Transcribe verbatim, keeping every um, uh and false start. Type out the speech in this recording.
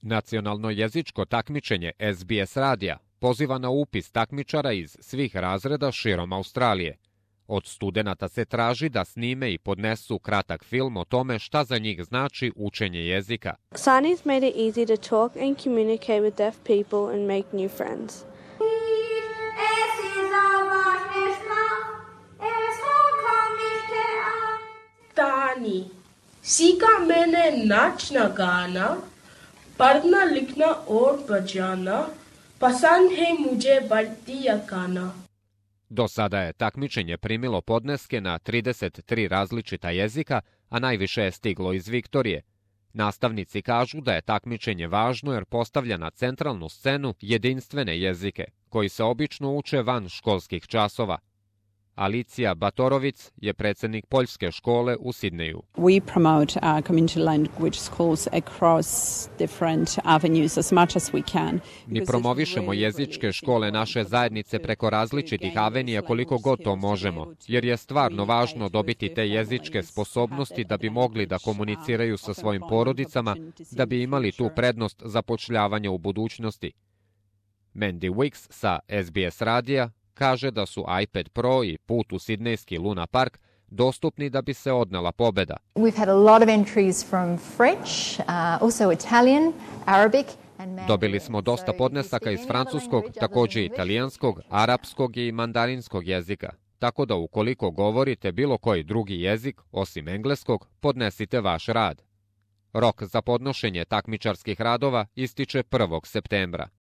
Nacionalno jezičko takmičenje S B S radija poziva na upis takmičara iz svih razreda širom Australije. Od studenata se traži da snime i podnesu kratak film o tome šta za njih znači učenje jezika. Signing made it easy to talk and communicate with deaf people and make new friends. तानी सीखा मैंने नाचना गाना पढ़ना लिखना और बजाना पसंद है मुझे बढ़ती गाना. Do sada je takmičenje primilo podneske na trideset tri različita jezika, a najviše je stiglo iz Viktorije. Nastavnici kažu da je takmičenje važno jer postavlja na centralnu scenu jedinstvene jezike, koji se obično uče van školskih časova. Alicija Batorovic je predsjednik poljske škole u Sidneju. We promote uh, community language schools across different avenues as much as we can. Mi promovišemo jezičke škole naše zajednice preko različitih avenija koliko god to možemo, jer je stvarno važno dobiti te jezičke sposobnosti da bi mogli da komuniciraju sa svojim porodicama, da bi imali tu prednost zapošljavanja u budućnosti. Mandy Wicks sa S B S radija kaže da su iPad Pro i put u sidnejski Luna Park dostupni da bi se odnela pobeda. We've had a lot of entries from French, uh, also Italian, Arabic and Mandarin. Dobili smo dosta podnesaka iz francuskog, također italijanskog, arapskog i mandarinskog jezika. Tako da ukoliko govorite bilo koji drugi jezik, osim engleskog, podnesite vaš rad. Rok za podnošenje takmičarskih radova ističe prvog septembra.